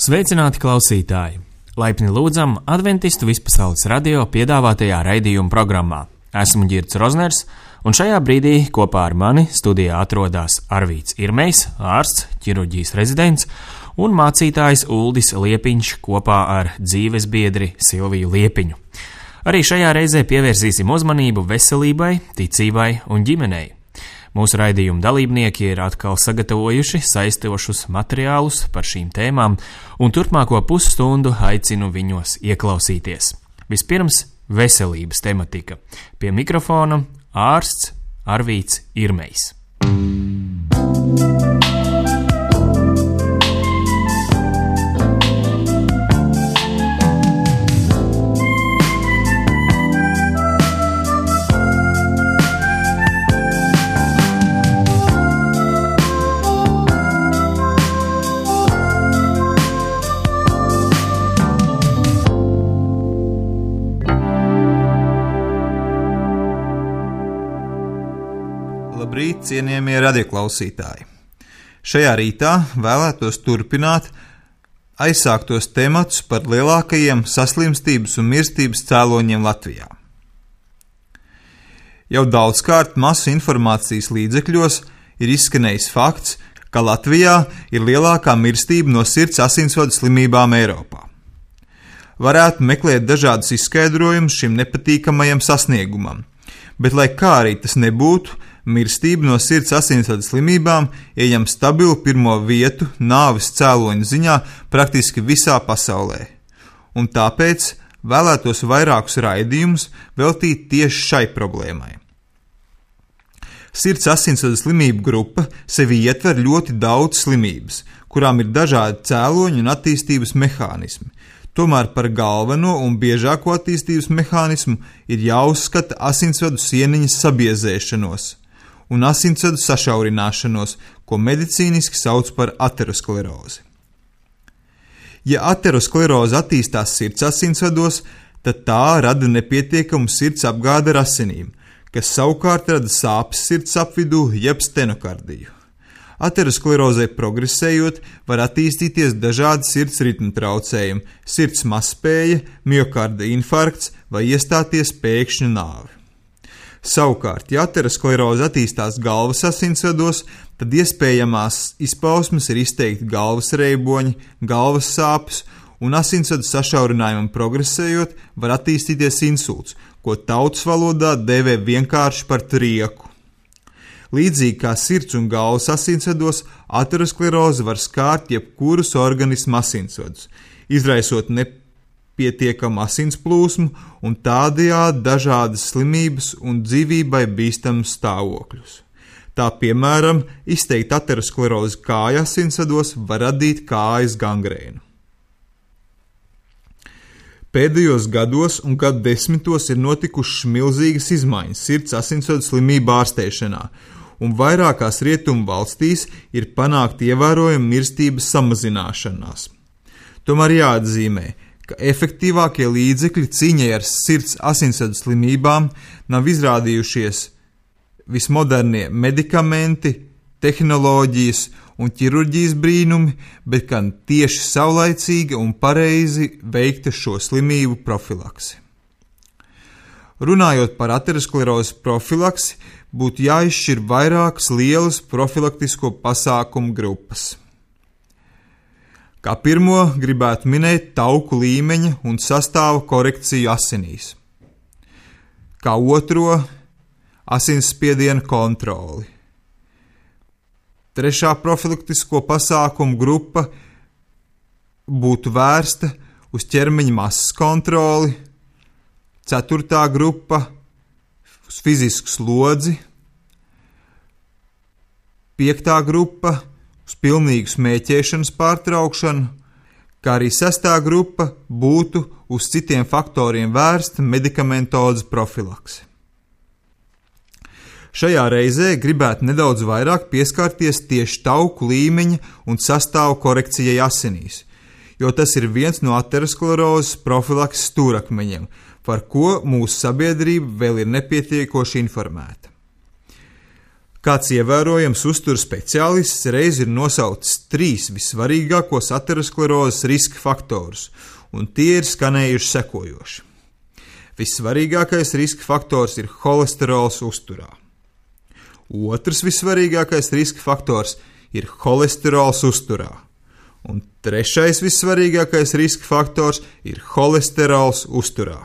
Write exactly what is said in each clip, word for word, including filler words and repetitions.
Sveicināti klausītāji! Laipni lūdzam Adventistu Vispasaules radio piedāvātajā raidījuma programmā. Esmu Ģirds Rozners, un šajā brīdī kopā ar mani studijā atrodas Arvīts Irmejs, ārsts, ķirurģijas rezidents, un mācītājs Uldis Liepiņš kopā ar dzīvesbiedri Silviju Liepiņu. Arī šajā reizē pievērsīsim uzmanību veselībai, ticībai un ģimenei. Mūsu raidījuma dalībnieki ir atkal sagatavojuši saistošus materiālus par šīm tēmām, un turpmāko pusstundu aicinu viņos ieklausīties. Vispirms veselības tematika. Pie mikrofona ārsts Arvīts Irmejs. Labrīt, cienījamie radioklausītāji! Šajā rītā vēlētos turpināt aizsāktos tematus par lielākajiem saslimstības un mirstības cēloņiem Latvijā. Jau daudzkārt masu informācijas līdzekļos ir izskanējis fakts, ka Latvijā ir lielākā mirstība no sirds asinsvadu slimībām Eiropā. Varētu meklēt dažādus izskaidrojumus šim nepatīkamajam sasniegumam, bet lai kā arī tas nebūtu, mirstība no sirds asinsvadu slimībām ieņem stabilu pirmo vietu nāves cēloņu ziņā praktiski visā pasaulē. Un tāpēc vēlētos vairākus raidījumus veltīt tieši šai problēmai. Sirds asinsvadu slimību grupa sevi ietver ļoti daudz slimības, kurām ir dažādi cēloņi un attīstības mehānismi. Tomēr par galveno un biežāko attīstības mehānismu ir jāuzskata asinsvadu sieniņas sabiezēšanos un asinsvadu sašaurināšanos, ko medicīniski sauc par aterosklerozi. Ja ateroskleroze attīstās sirds asinsvados, tad tā rada nepietiekamu sirds apgādi ar asinīm, kas savukārt rada sāpes sirds apvidū jeb stenokardiju. Aterosklerozei progresējot, var attīstīties dažādi sirds ritmu traucējumi, sirds mazspēja, miokarda infarkts vai iestāties pēkšņu nāve. Savukārt, ja ateroskleroze attīstās galvas asinsvados, tad iespējamās izpausmes ir izteikti galvas reiboņi, galvas sāpes, un asinsvadu sašaurinājumam progresējot, var attīstīties insults, ko tautas valodā dēvē vienkārši par trieku. Līdzīgi kā sirds un galvas asinsvados, ateroskleroze var skārt jebkurus organismu asinsvadus, izraisot nepietiekamu asins plūsmu un tādējādi dažādas slimības un dzīvībai bīstamus stāvokļus. Tā piemēram, izteikti aterosklerozi kāju asinsvados var radīt kājas gangrēnu. Pēdējos gados un gadu desmitos ir notikušas milzīgas izmaiņas sirds asinsvadu slimību ārstēšanā, un vairākās rietumu valstīs ir panākta ievērojama mirstības samazināšanās. Tomēr jāatzīmē, ka efektīvākie līdzekļi cīņai ar sirds asinsvadu slimībām nav izrādījušies vismodernie medikamenti, tehnoloģijas un ķirurģijas brīnumi, bet gan tieši saulaicīga un pareizi veikta šo slimību profilaksi. Runājot par aterosklerozes profilaksi, būtu jāizšķir vairākas lielas profilaktisko pasākumu grupas. Kā pirmo gribētu minēt tauku līmeņa un sastāva korekciju asinīs. Kā otro asinsspiediena kontroli. Trešā profilaktisko pasākumu grupa būtu vērsta uz ķermeņa masas kontroli, ceturtā grupa uz fizisku slodzi, piektā grupa uz pilnīgu smēķēšanas pārtraukšanu, kā arī sestā grupa būtu uz citiem faktoriem vērsta medikamentozes profilakse. Šajā reizē gribētu nedaudz vairāk pieskarties tieši tauku līmeņa un sastāvu korekcijai asinīs, jo tas ir viens no aterosklerozes profilakses stūrakmeņiem, par ko mūsu sabiedrība vēl ir nepietiekoši informēta. Kāds ievērojams uzturu speciālists reiz ir nosaucis trīs vissvarīgākos aterosklerozes riska faktorus, un tie ir skanējuši sekojoši. Vissvarīgākais riska faktors ir holesterols uzturā. Otrs vissvarīgākais riska faktors ir holesterols uzturā. Un trešais vissvarīgākais riska faktors ir holesterols uzturā.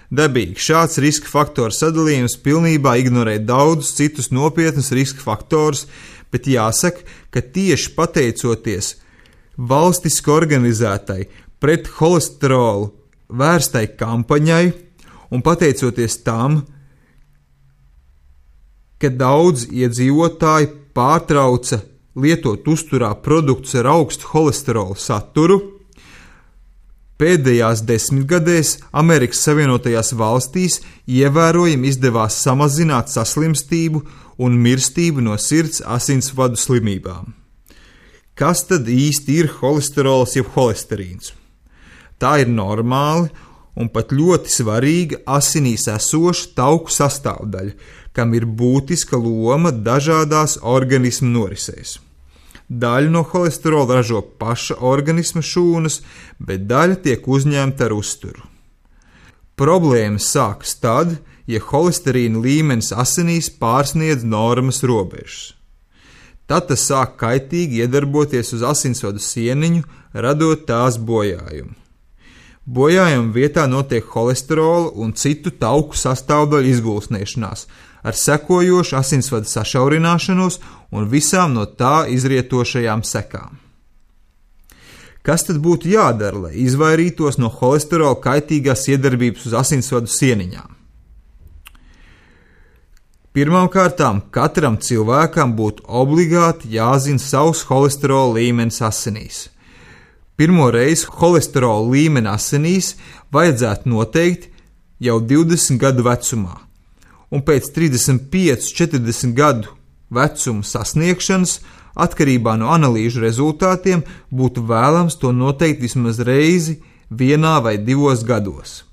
Dabīgi šāds riska faktoru sadalījums pilnībā ignorē daudzus citus nopietnus riska faktorus, bet jāsaka, ka tieši pateicoties valstiski organizētai pret holesterolu vērstai kampaņai un pateicoties tam, ka daudz iedzīvotāji pārtrauca lietot uzturā produktus ar augstu holesterolu saturu, pēdējās desmitgadēs Amerikas Savienotajās valstīs ievērojami izdevās samazināt saslimstību un mirstību no sirds asinsvadu slimībām. Kas tad īsti ir holesterols jeb holesterīns? Tā ir normāli un pat ļoti svarīga asinīs esoša tauku sastāvdaļa, kam ir būtiska loma dažādās organismu norisēs. Daļu no holesterola ražo paša organisma šūnas, bet daļa tiek uzņemta ar uzturu. Problēmas sākas tad, ja holesterīna līmenis asinīs pārsniedz normas robežas. Tad tas sāk kaitīgi iedarboties uz asinsvadu sieniņu, radot tās bojājumu. Bojājuma vietā notiek holesterola un citu tauku sastāvdaļu izgulsnēšanās, ar sekojošu asinsvadu sašaurināšanos un visām no tā izrietošajām sekām. Kas tad būtu jādara, lai izvairītos no holesterola kaitīgās iedarbības uz asinsvadu sieniņām? Pirmkārtām, katram cilvēkam būtu obligāti jāzina savs holesterola līmenis asinīs. Pirmo reizi holesterola līmeni asinīs vajadzētu noteikt jau divdesmit gadu vecumā, un pēc trīsdesmit pieci līdz četrdesmit gadu vecuma sasniegšanas, atkarībā no analīžu rezultātiem, būtu vēlams to noteikt vismaz reizi vienā vai divos gados.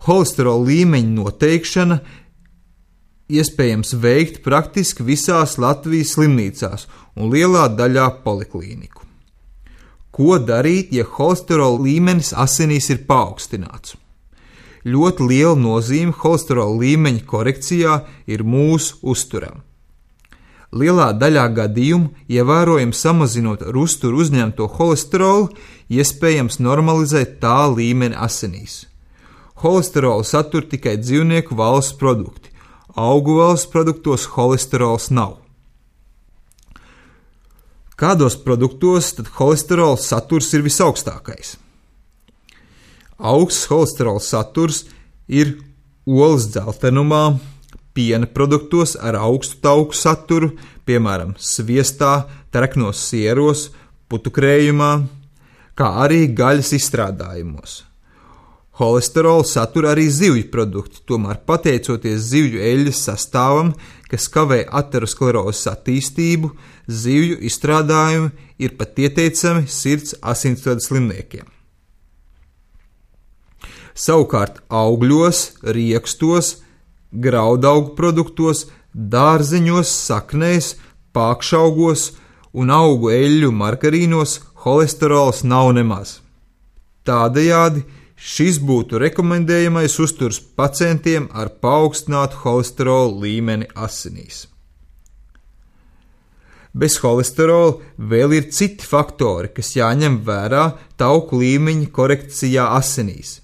Holesterola līmeņa noteikšana iespējams veikt praktiski visās Latvijas slimnīcās un lielā daļā poliklīniku. Ko darīt, ja holesterola līmenis asinīs ir paaugstināts? Ļoti liela nozīme holesterola līmeņa korekcijā ir mūsu uzturam. Lielā daļā gadījumu, ievērojami samazinot ar uzturu uzņemto holesterolu, iespējams normalizēt tā līmeni asinīs. Holesterolu satur tikai dzīvnieku valsts produkti. Augu valsts produktos holesterols nav. Kādos produktos tad holesterola saturs ir visaugstākais? Augsts holesterola saturs ir olas dzeltenumā, piena produktos ar augstu tauku saturu, piemēram, sviestā, treknos sieros, putukrējumā, kā arī gaļas izstrādājumos. Holesterola satur arī zivju produkti, tomēr pateicoties zivju eļļas sastāvam, kas kavē aterosklerozes attīstību, zivju izstrādājumi ir pat ieteicami sirds asinsvadu slimniekiem. Savukārt augļos, riekstos, graudaugu produktos, dārzeņos, saknēs, pākšaugos un augu eļļu margarīnos holesterols nav nemaz. Tādējādi šis būtu rekomendējamais uzturs pacientiem ar paaugstinātu holesterola līmeni asinīs. Bez holesterola vēl ir citi faktori, kas jāņem vērā tauku līmeņa korekcijā asinīs,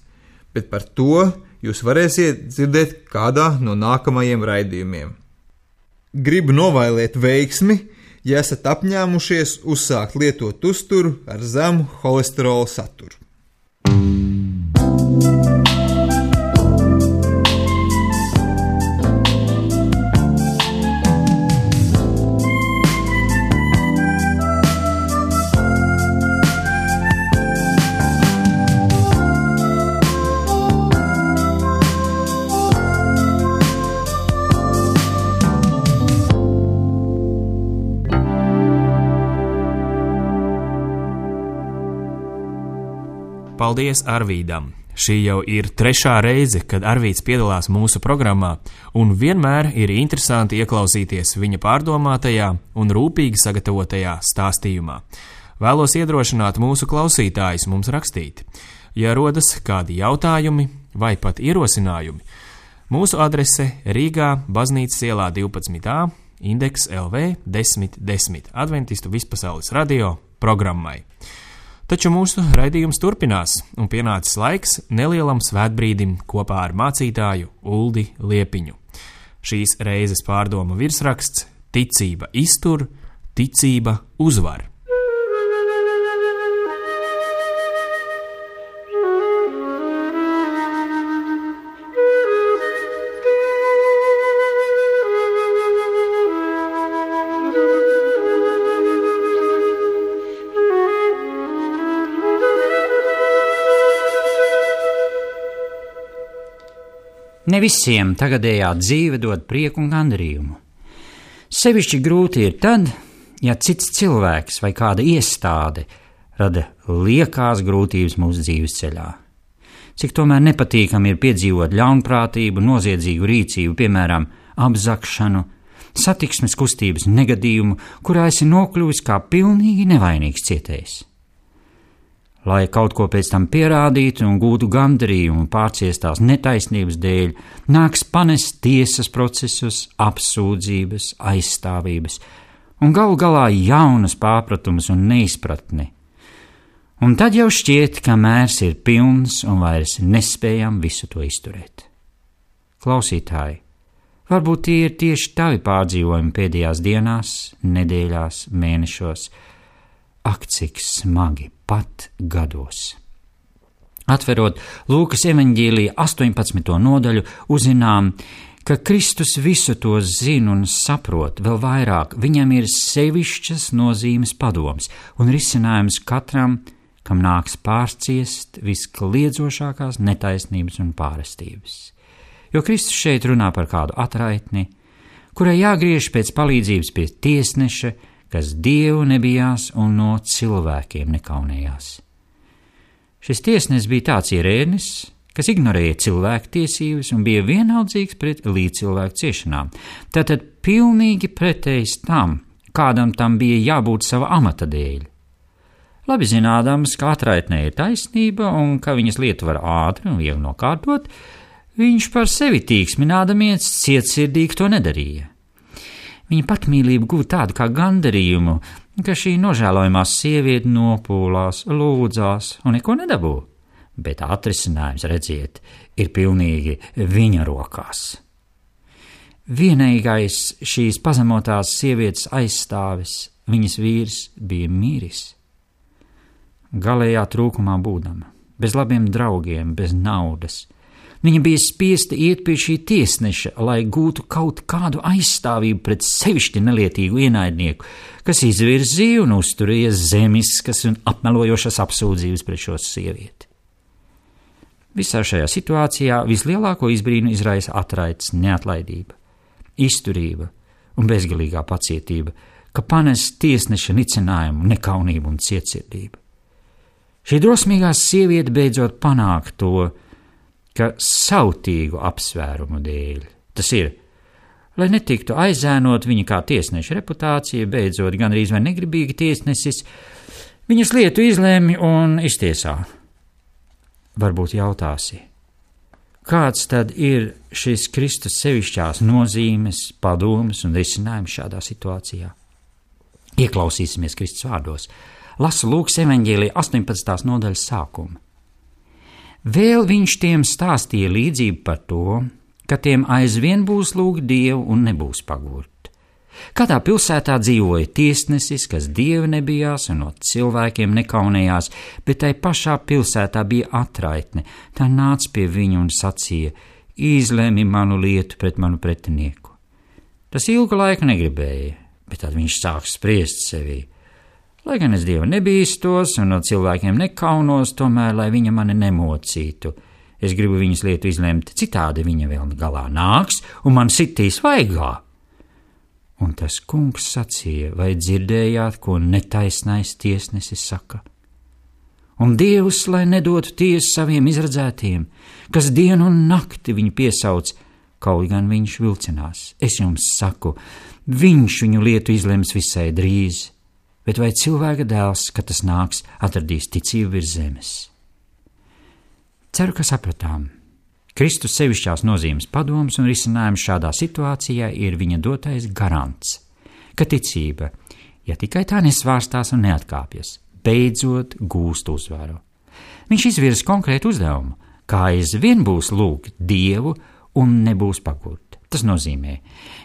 bet par to jūs varēsiet dzirdēt kādā no nākamajiem raidījumiem. Gribu novēlēt veiksmi, ja esat apņēmušies uzsākt lietot uzturu ar zemu holesterola saturu. Paldies Arvīdam! Šī jau ir trešā reize, kad Arvīts piedalās mūsu programmā, un vienmēr ir interesanti ieklausīties viņa pārdomātajā un rūpīgi sagatavotajā stāstījumā. Vēlos iedrošināt mūsu klausītājus mums rakstīt. Ja rodas kādi jautājumi vai pat ierosinājumi, mūsu adrese Rīgā, Baznīcas ielā divpadsmit A, Indeks L V desmit desmit Adventistu vispasaules radio programmai. Taču mūsu raidījums turpinās, un pienācis laiks nelielam svētbrīdim kopā ar mācītāju Uldi Liepiņu. Šīs reizes pārdomu virsraksts – Ticība iztur, ticība uzvar. Ne visiem tagadējā dzīve dod prieku un gandarījumu. Sevišķi grūti ir tad, ja cits cilvēks vai kāda iestāde rada liekās grūtības mūsu dzīves ceļā. Cik tomēr nepatīkami ir piedzīvot ļaunprātību, noziedzīgu rīcību, piemēram, apzakšanu, satiksmes kustības negadījumu, kurā esi nokļuvis kā pilnīgi nevainīgs cietējs. Lai kaut ko pēc tam pierādītu un gūtu gandarījumu pārciestās netaisnības dēļ, nāks panest tiesas procesus, apsūdzības, aizstāvības un galu galā jaunas pārpratumus un neizpratni. Un tad jau šķiet, ka mērs ir pilns un vairs nespējam visu to izturēt. Klausītāji, varbūt tie ir tieši tavi pārdzīvojumi pēdējās dienās, nedēļās, mēnešos. Ak, cik smagi pat gados. Atverot Lūkas evaņģēlija astoņpadsmito nodaļu, uzzinām, ka Kristus visu to zina un saprot, vēl vairāk viņam ir sevišķas nozīmes padoms un risinājums katram, kam nāks pārciest viskliedzošākās netaisnības un pārestības. Jo Kristus šeit runā par kādu atraitni, kurai jāgriež pēc palīdzības pie tiesneša, kas Dievu nebijās un no cilvēkiem nekaunējās. Šis tiesnesis bija tāds ierēdnis, kas ignorēja cilvēku tiesības un bija vienaldzīgs pret līdzcilvēku ciešanām. Tātad pilnīgi pretējs tam, kādam tam bija jābūt sava amata dēļ. Labi zinādams, ka atraitnē ir taisnība un ka viņas lietu var ātri un viegli nokārtot, viņš par sevi tīksminādamiens cietsirdīgi to nedarīja. Viņa patmīlība guva tādu kā gandarījumu, ka šī nožēlojamā sieviete nopūlās, lūdzās un neko nedabū, bet atrisinājums, redziet, ir pilnīgi viņa rokās. Vienīgais šīs pazemotās sievietes aizstāvis, viņas vīrs, bija miris. Galējā trūkumā būdama, bez labiem draugiem, bez naudas. Viņa bija spiesta iet pie šī tiesneša, lai gūtu kaut kādu aizstāvību pret sevišķi nelietīgu ienaidnieku, kas izvirzīja un uzturēja zemiskas un apmelojošas apsūdzības pret šo sievieti. Visā šajā situācijā vislielāko izbrīnu izraisa atraites neatlaidība, izturība un bezgalīgā pacietība, ka panes tiesneša nicinājumu, nekaunību un cietsirdību. Šī drosmīgā sieviete beidzot panāk to, ka sautīgu apsvērumu dēļ, tas ir, lai netiktu aizēnot viņa kā tiesneša reputācija, beidzot gandrīz vai negribīgi tiesnesis, viņas lietu izlēmi un iztiesā. Varbūt jautāsi, kāds tad ir šis Kristus sevišķās nozīmes, padomas un risinājums šādā situācijā? Ieklausīsimies Kristus vārdos. Lasu Lūkas evaņģēlija astoņpadsmitās nodaļas sākumu. Vēl viņš tiem stāstīja līdzību par to, ka tiem aizvien būs lūgt Dievu un nebūs pagurt. Kādā pilsētā dzīvoja tiesnesis, kas Dievu nebijās un no cilvēkiem nekaunējās, bet tai pašā pilsētā bija atraitne. Tā nāca pie viņa un sacīja: izlēmi manu lietu pret manu pretinieku. Tas ilgu laiku negribēja, bet tad viņš sāk spriest sevī. Lai gan es Dievu nebīstos un no cilvēkiem nekaunos, tomēr, lai viņa mani nemocītu. Es gribu viņas lietu izlemt, citādi viņa vēl galā nāks un man sitīs vaigā. Un tas kungs sacīja: vai dzirdējāt, ko netaisnais tiesnesis saka? un Dievs, lai nedotu tiesu saviem izredzētiem, kas dienu un nakti viņu piesauc, kaut gan viņš vilcinās. Es jums saku, viņš viņu lietu izlems visai drīz, bet vai cilvēka dēls, kad tas nāks, atradīs ticību virs zemes? Ceru, ka sapratām. Kristus sevišķās nozīmes padoms un risinājums šādā situācijā ir viņa dotais garants, ka ticība, ja tikai tā nesvārstās un neatkāpjas, beidzot gūst uzvaru. Viņš izvirza konkrētu uzdevumu, kā aizvien būs lūgt Dievu un nebūs pagurt. Tas nozīmē,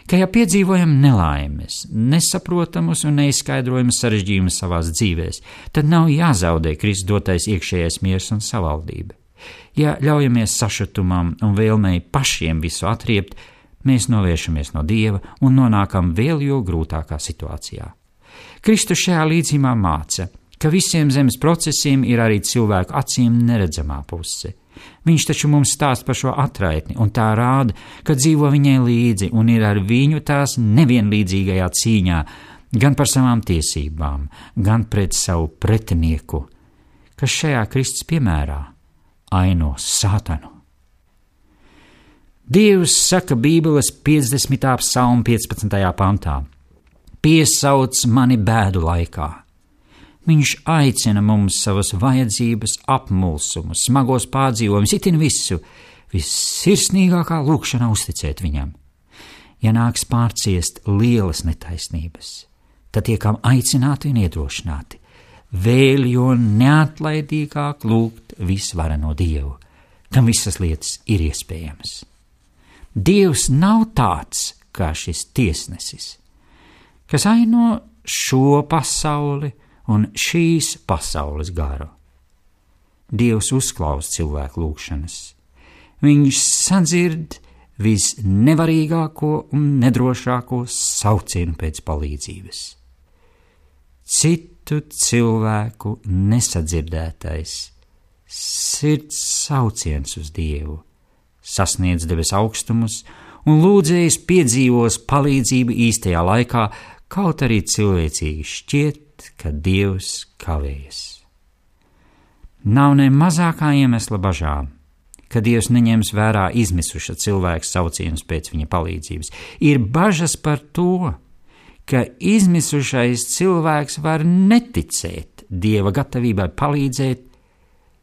ka ja piedzīvojam nelaimes, nesaprotamus un neizskaidrojamus sarežģījumus savās dzīvēs, tad nav jāzaudē Kristus dotais iekšējais miers un savaldība. Ja ļaujamies sašutumam un vēlmei pašiem visu atriept, mēs novēršamies no Dieva un nonākam vēl jo grūtākā situācijā. Kristus šajā līdzībā māca, ka visiem zemes procesiem ir arī cilvēku acīm neredzamā puse. Viņš taču mums stāst par šo atraitni, un tā rāda, ka dzīvo viņai līdzi un ir ar viņu tās nevienlīdzīgajā cīņā, gan par savām tiesībām, gan pret savu pretinieku, kas šajā Kristus piemērā aino Sātanu. Dievs saka Bībeles piecdesmitā psalma piecpadsmitajā pantā: piesauc mani bēdu laikā. Viņš aicina mums savas vajadzības, apmulsumus, smagos pārdzīvojumus, itin visu, vissirsnīgākā lūkšanā uzticēt viņam. Ja nāks pārciest lielas netaisnības, tad tiekam aicināti un iedrošināti, vēl jo neatlaidīgāk lūgt visvareno Dievu, kam visas lietas ir iespējamas. Dievs nav tāds kā šis tiesnesis, kas aino šo pasauli un šīs pasaules garu. Dievs uzklaus cilvēku lūgšanas. Viņš sadzird visnevarīgāko un nedrošāko saucienu pēc palīdzības. Citu cilvēku nesadzirdētais sirds sauciens uz Dievu sasniedz debes augstumus, un lūdzējs piedzīvos palīdzību īstajā laikā, kaut arī cilvēcīgi šķiet, ka Dievs kavējas. Nav ne mazākā iemesla bažām, ka Dievs neņems vērā izmisuša cilvēka saucienus pēc viņa palīdzības. Ir bažas par to, ka izmisušais cilvēks var neticēt Dieva gatavībai palīdzēt,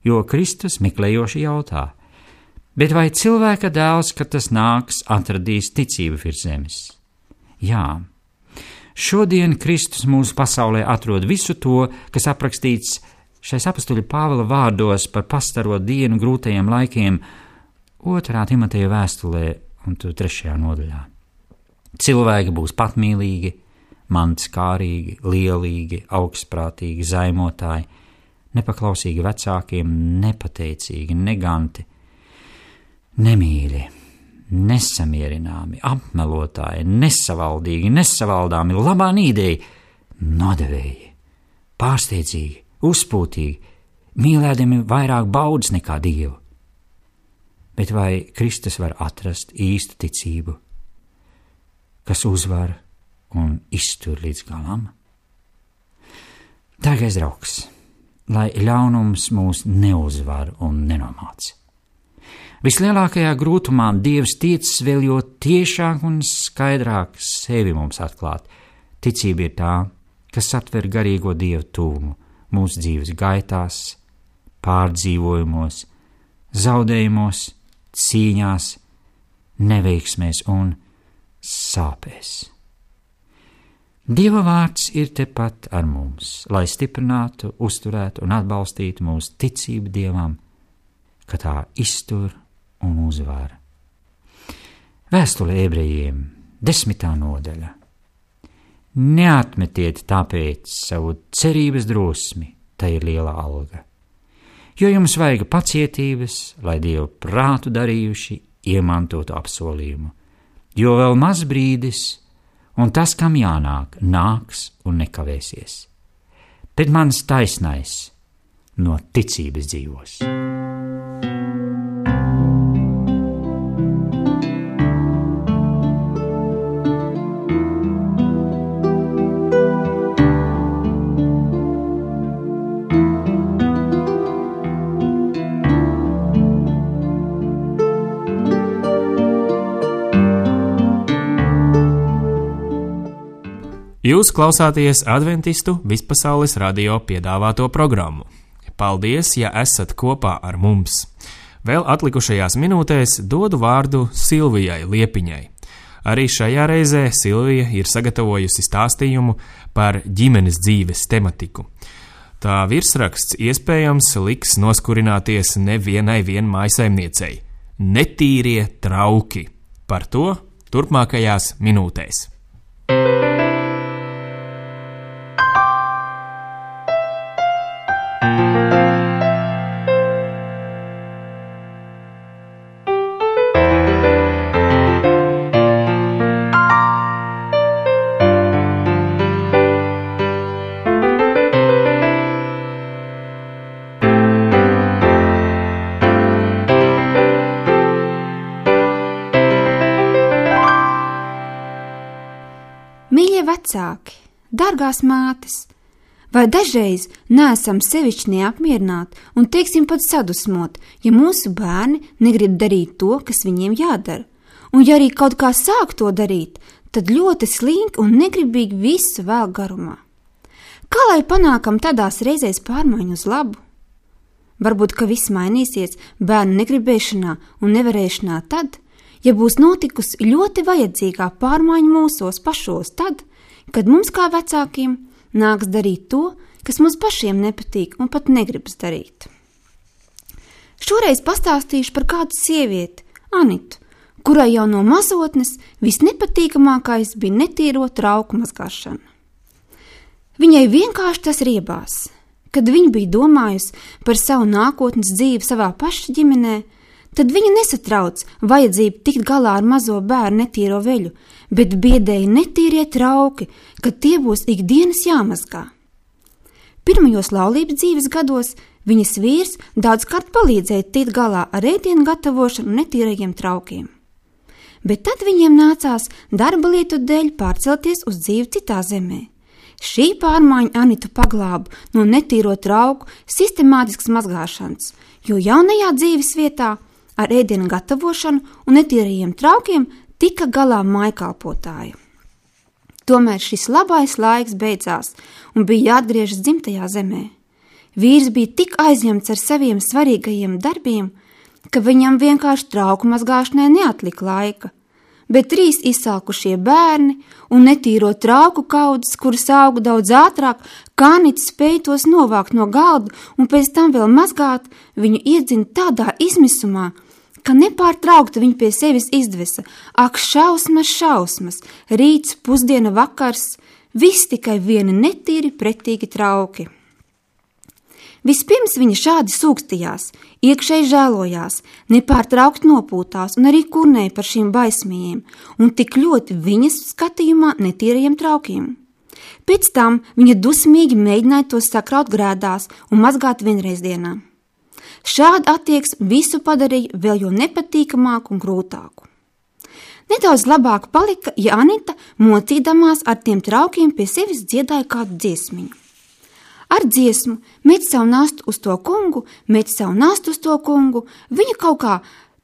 jo Kristus meklējoši jautā: bet vai cilvēka dēls, kad tas nāks, atradīs ticību virs zemes? Jā. Šodien Kristus mūsu pasaulē atrod visu to, kas aprakstīts šais apustuļa Pāvila vārdos par pastaro dienu grūtajiem laikiem otrā Timoteja vēstulē un trešajā nodaļā. Cilvēki būs patmīlīgi, mantskārīgi, lielīgi, augstprātīgi, zaimotāji, nepaklausīgi vecākiem, nepateicīgi, neganti, nemīļi, nesamierināmi, apmelotāji, nesavaldīgi, nesavaldāmi, labā nīdēji, nodevēji, pārsteidzīgi, uzpūtīgi, mīlēdami vairāk baudas nekā Dievu. Bet vai Kristus var atrast īstu ticību, kas uzvar un iztur līdz galam? Dārgais draugs, lai ļaunums mūs neuzvar un nenomāca. Vislielākajā grūtumā Dievs tiecas vēl jo tiešāk un skaidrāk sevi mums atklāt. Ticība ir tā, kas atver garīgo Dievu tūmu mūsu dzīves gaitās, pārdzīvojumos, zaudējumos, cīņās, neveiksmēs un sāpēs. Dieva vārds ir tepat ar mums, lai stiprinātu, uzturētu un atbalstītu mūsu ticību Dievam, ka tā iztur un uzvar. Vēstule ebrejiem, desmitā nodaļa. Neatmetiet tāpēc savu cerības drosmi, tā ir liela alga. Jo jums vajag pacietības, lai Dievu prātu darījuši iemantotu apsolījumu. Jo vēl maz brīdis, un tas, kam jānāk, nāks un nekavēsies. Bet mans taisnais no ticības dzīvos. Jūs klausāties Adventistu Vispasaules radio piedāvāto programmu. Paldies, ja esat kopā ar mums. Vēl atlikušajās minūtēs dodu vārdu Silvijai Liepiņai. Arī šajā reizē Silvija ir sagatavojusi stāstījumu par ģimenes dzīves tematiku. Tā virsraksts iespējams liks noskurināties nevienai vien mājsaimniecei. Netīrie trauki. Par to turpmākajās minūtēs. Mīļie vecāki, dargās mātes, vai dažreiz neesam sevišķi neapmierināti un, teiksim, pat sadusmoti, ja mūsu bērni negrib darīt to, kas viņiem jādara, un ja arī kaut kā sāk to darīt, tad ļoti slinki un negribīgi visu vēl garumā. Kā lai panākam tādās reizēs pārmaiņu uz labu? Varbūt, ka viss mainīsies bērnu negribēšanā un nevarēšanā tad, ja būs notikusi ļoti vajadzīgā pārmaiņa mūsos pašos tad, kad mums kā vecākiem nāks darīt to, kas mums pašiem nepatīk un pat negribas darīt. Šoreiz pastāstīšu par kādu sievieti, Anitu, kurai jau no mazotnes visnepatīkamākais bija netīro trauku mazgāšana. Viņai vienkārši tas riebās. Kad viņa bija domājusi par savu nākotnes dzīvi savā paša ģimenē, tad viņa nesatrauc vajadzību tikt galā ar mazo bērnu netīro veļu, bet biedēja netīrie trauki, kad tie būs ikdienas jāmazgā. Pirmajos laulības dzīves gados viņas vīrs daudzkārt palīdzēja tikt galā ar ēdienu gatavošanu un netīrajiem traukiem. Bet tad viņiem nācās darba lietu dēļ pārcelties uz dzīvi citā zemē. Šī pārmaiņa Anitu paglāba no netīro trauku sistemātiskas mazgāšanas, jo jaunajā dzīves vietā ar ēdienu gatavošanu un netīrajiem traukiem tika galā mājkalpotāja. Tomēr šis labais laiks beidzās un bija jāatgriežas dzimtajā zemē. Vīrs bija tik aizņemts ar saviem svarīgajiem darbiem, ka viņam vienkārši trauku mazgāšanai neatlika laika, bet trīs izsalkušie bērni un netīro trauku kaudzes, kuras auga daudz ātrāk, kā Anita spēja tos novākt no galda un pēc tam vēl mazgāt, viņu iedzina tādā izmisumā, ka nepārtraukti viņa pie sevis izdvesa. Ak, šausmas, šausmas, rīts, pusdiena, vakars, viss tikai vieni netīri pretīgi trauki. Vispirms viņa šādi sūkstījās, iekšēji žēlojās, nepārtraukti nopūtās un arī kurnēja par šīm baismījiem un tik ļoti viņas skatījumā netīrajiem traukiem. Pēc tam viņa dusmīgi mēģināja tos sakraut grēdās un mazgāt vienreiz dienā. Šāda attieksme visu padarīja vēl jo nepatīkamāku un grūtāku. Nedaudz labāk palika, ja Anita, mocīdamās ar tiem traukiem, pie sevis dziedāja kādu dziesmiņu. Ar dziesmu met savu nastu uz to kungu, met savu nastu uz to kungu, viņa kaut kā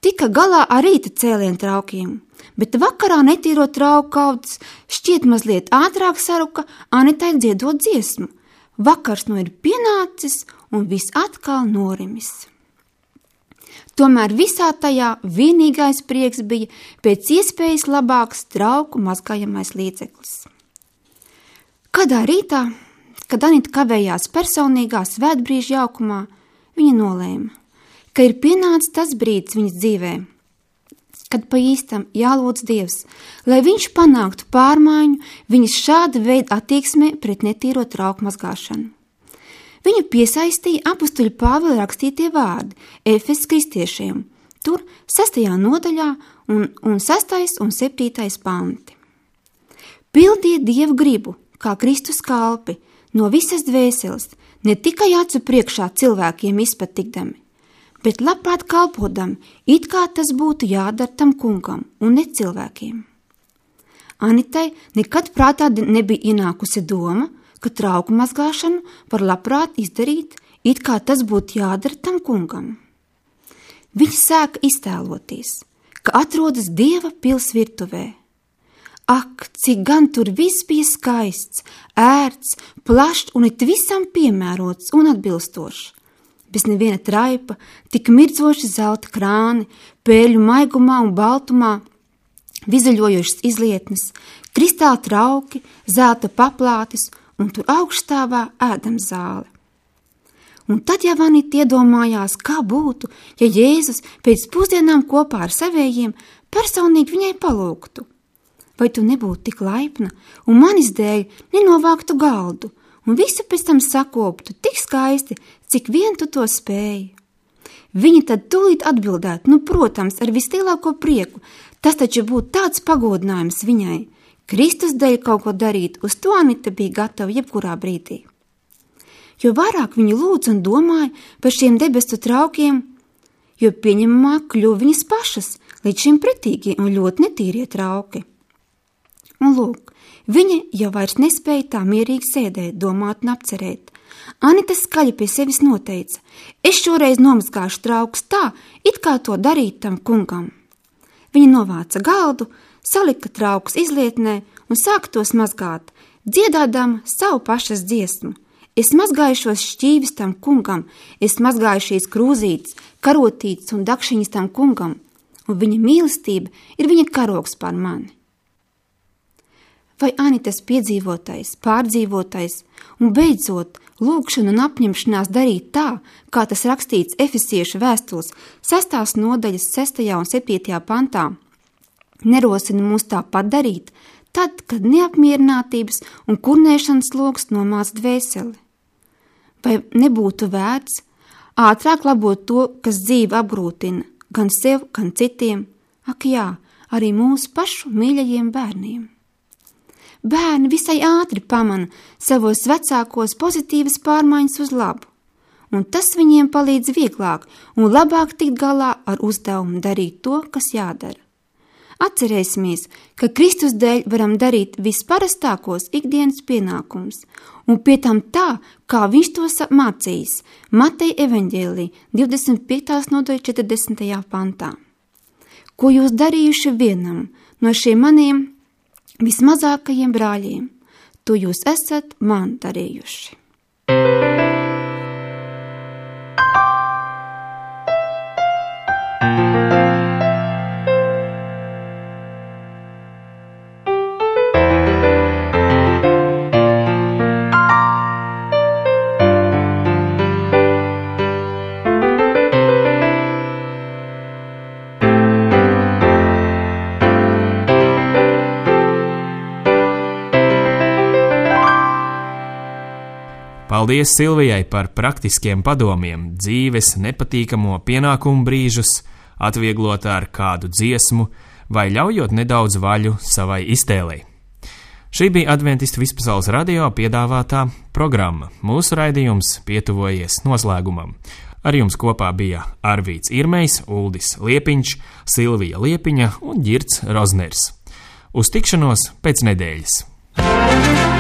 tika galā ar rīta cēlienu traukiem, bet vakarā netīro trauku kaudzes šķiet mazliet ātrāk saruka Anitai dziedot dziesmu. Vakars nu ir pienācis un viss atkal norimis. Tomēr visā tajā vienīgais prieks bija pēc iespējas labāks trauku mazgājamais līdzeklis. Kādā rītā, kad Anita kavējās personīgā svētbrīža jaukumā, viņa nolēma, ka ir pienācis tas brīdis viņas dzīvē, kad pa īstam jālūdz Dievs, lai viņš panāktu pārmaiņu viņas šāda veida attieksmē pret netīro trauku mazgāšanu. Viņu piesaistīja apustuļa Pāvila rakstītie vārdi Efesas kristiešiem, tur sestajā nodaļā un, un sestais un septītais panti. Pildiet Dievu gribu, kā Kristus kalpi, no visas dvēseles, ne tikai acu priekšā cilvēkiem izpatikdami, bet labprāt kalpodam, it kā tas būtu jādara tam kungam un ne cilvēkiem. Anitai nekad prātā nebija ienākusi doma, ka trauku mazgāšanu var labprāt izdarīt, it kā tas būtu jādara tam kungam. Viņa sāka iztēloties, ka atrodas Dieva pils virtuvē. Ak, cik gan tur viss bija skaists, ērts, plašs un it visam piemērots un atbilstošs. Bez neviena traipa, tik mirdzoši zelta krāni, pēļu maigumā un baltumā, vizaļojošas izlietnes, kristāla trauki, zelta paplātes un tur augststāvā ēdamzāle. Un tad jau Anita iedomājās, kā būtu, ja Jēzus pēc pusdienām kopā ar savējiem personīgi viņai palūgtu. Vai tu nebūtu tik laipna un manis dēļ nenovāktu galdu un visu pēc tam sakoptu tik skaisti, cik vien tu to spēji? Viņa tad tūlīt atbildētu, nu, protams, ar vislielāko prieku, tas taču būtu tāds pagodinājums viņai. Kristus dēļ kaut ko darīt, uz to Anita bija gatava jebkurā brīdī. Jo vairāk viņa lūdz un domāja par šiem debesu traukiem, jo pieņemamāk kļuva viņas pašas, līdz šim pretīgie un ļoti netīrie trauki. Un lūk, viņa jau vairs nespēja tā mierīgi sēdēt, domāt un apcerēt. Anita skaļi pie sevis noteica, es šoreiz nomazgāšu traukus tā, it kā to darīt tam kungam. Viņa novāca galdu, salika traukus izlietnē un sāka tos mazgāt, dziedādama savu pašas dziesmu. Es mazgāju šos šķīvis tam kungam, es mazgāju šīs krūzītes, karotītes un dakšiņas tam kungam, un viņa mīlestība ir viņa karogs pār mani. Vai Anitas piedzīvotais, pārdzīvotais un beidzot lūgšana un apņemšanās darīt tā, kā tas rakstīts Efesiešu vēstules sestās nodaļas sestajā un septītajā pantā, nerosina mūs tāpat darīt, tad, kad neapmierinātības un kurnēšanas logs nomāc dvēseli. Vai nebūtu vērts ātrāk labot to, kas dzīvi apgrūtina, gan sev, gan citiem, ak jā, arī mūsu pašu mīļajiem bērniem? Bērni visai ātri pamana savos vecākos pozitīvas pārmaiņas uz labu, un tas viņiem palīdz vieglāk un labāk tikt galā ar uzdevumu darīt to, kas jādara. Atcerēsimies, ka Kristus dēļ varam darīt visparastākos ikdienas pienākumus, un pie tam tā, kā viņš tos mācījis Mateja evaņģēlī divdesmit piektajā nodaļā četrdesmitajā pantā. Ko jūs darījuši vienam no šiem maniem vismazākajiem brāļiem, to jūs esat man darījuši. Paldies Silvijai par praktiskiem padomiem, dzīves nepatīkamo pienākumu brīžus, atvieglot ar kādu dziesmu vai ļaujot nedaudz vaļu savai iztēlei. Šī bija Adventistu Vispasaules radio piedāvātā programma. Mūsu raidījums pietuvojies noslēgumam. Ar jums kopā bija Arvīts Irmejs, Uldis Liepiņš, Silvija Liepiņa un Ģirds Rozners. Uz tikšanos pēc nedēļas!